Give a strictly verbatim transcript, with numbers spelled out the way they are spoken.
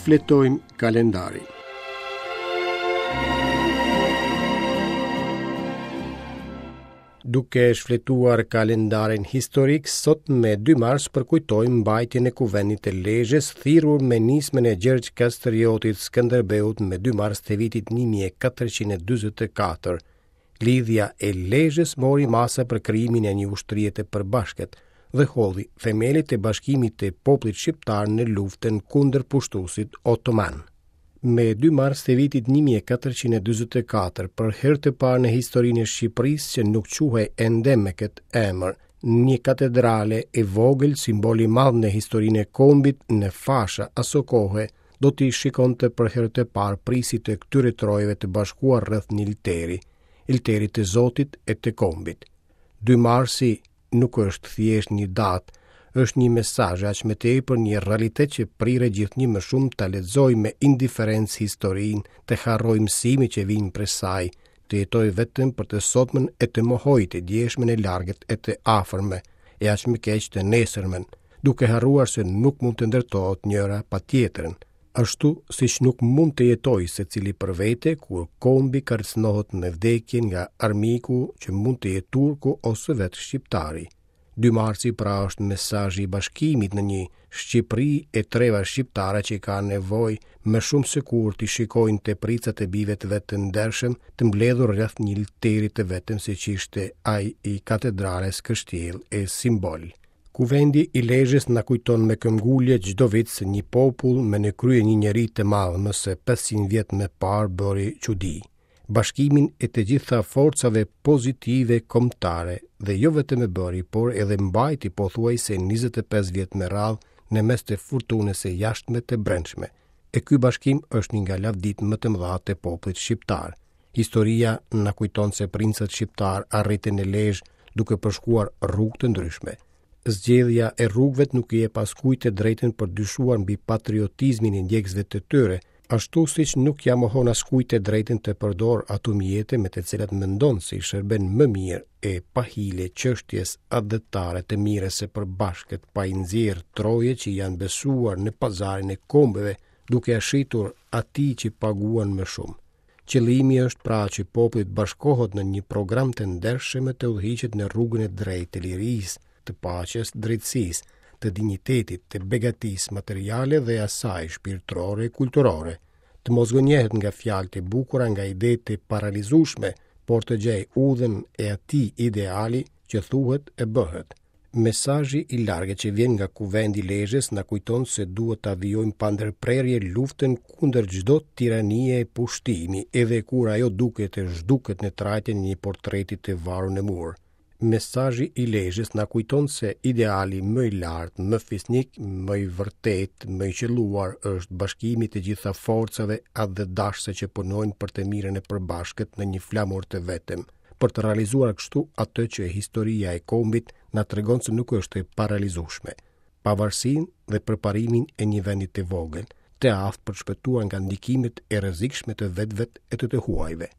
Shfletojmë kalendarin. Duke shfletuar kalendarin historik, sot me dy mars përkujtojmë mbajtjen e Kuvendit të Lezhës, thirrur me nismën e Gjergj Kastriotit Skënderbeut me dy mars të vitit një mijë e katërqind e dyzet e katër. Lidhja e Lezhës mori masa për krijimin e një ushtrie të përbashkët dhe hodhi themelet e bashkimit të popullit shqiptar në luftën kundër pushtuesit otoman. Me dy mars të vitit një mijë e katërqind e dyzet e katër, për herë të parë në historinë e Shqipërisë që nuk quhej ende me këtë emër, një katedrale e vogël, simbol i madh në historinë e kombit në fasha aso kohe, do t'i shikonte për herë të parë prijësit e këtyre trojeve të bashkuar rreth një alteri, alterit të Zotit e të kombit. Dy marsi nuk është thjesht një datë, është një mesazh, aq më tepër një realitet që priret gjithnjë më shumë ta lexojë me indiferencë historinë, të harrojë mësimet që vijnë prej saj, të jetojë vetëm për të sotmen e të mohojë të djeshmen e largët e të afërme, e aq më keq të nesërmen, duke harruar se nuk mund të ndërtohet njëra pa tjetrën. Ashtu siç nuk mund të jetojë secili për vete kur kombi kërcënohet me vdekje nga armiku që mund të jetë turku ose vetë shqiptari. Dy marsi pra është mesazhi i bashkimit në një Shqipëri e treva shqiptare që ka nevojë më shumë se kur t'i shikojnë tepricat e bijve të vet të ndershëm të mbledhur rreth një alteri të vetëm siç ishte ai i katedrales kështjellë e simbol. Kuvendi i Lezhës na kujton me këmbgulje çdo vit se një popull me në krye një njeri të madh më se pesëqind vjet më parë bëri çudi. Bashkimin e të gjitha forcave pozitive kombëtare dhe jo vetëm e bëri, por edhe mbajti pothuajse njëzet e pesë vjet me radhë në mes të furtunës së jashtme të brendshme. E ky bashkim është një nga lavditë më të mëdha të popullit shqiptar. Historia na kujton se princat shqiptar arritën në Lezhë duke përshkuar rrugë të ndryshme. Zgjedhja e rrugëve nuk i jep askujt të drejtën për dyshuar mbi patriotizmin e ndjekësve të tyre, ashtu siç nuk ja mohon askujt të drejtën të përdor ato mjete me të cilat mendon se i shërben më mirë e pa hile çështjes atdhetare të mirës së përbashkët, pa i nxjerr troje që janë besuar në pazarin e kombeve, duke e shitur atij që paguan më shumë. Qëllimi është pra që populli të bashkohet në një program të ndershëm e të udhëhiqet në rrugën e drejtë të lirisë, të paqes, drejtësisë, të dinjitetit, të begatisë materiale dhe asaj shpirtërore e kulturore, të mos gënjehet nga fjalët e bukura, nga idetë e paralizueshme, por të gjejë udhën e atij ideali që thuhet e bëhet. Mesazhi i largët që vjen nga Kuvendi i Lezhës na kujton se duhet ta vijojmë pa ndërprerje luftën kundër çdo tiranie e pushtimi, edhe kur ajo duket e zhduket në trajtën e një portreti të varur në mur. Mesazhi i Lezhës na kujton se ideali më i lartë, më fisnik, më i vërtet, më i qëlluar është bashkimi i të gjitha forcave atdhedashëse që punojnë për të mirën e përbashkët në një flamur të vetëm, për të realizuar kështu atë që historia e kombit na tregon se nuk është e paralizueshme, pavarësinë dhe përparimin e një vendi të vogël, të aftë për të shpëtuar nga ndikimet e rrezikshme të vetvet e të të huajve.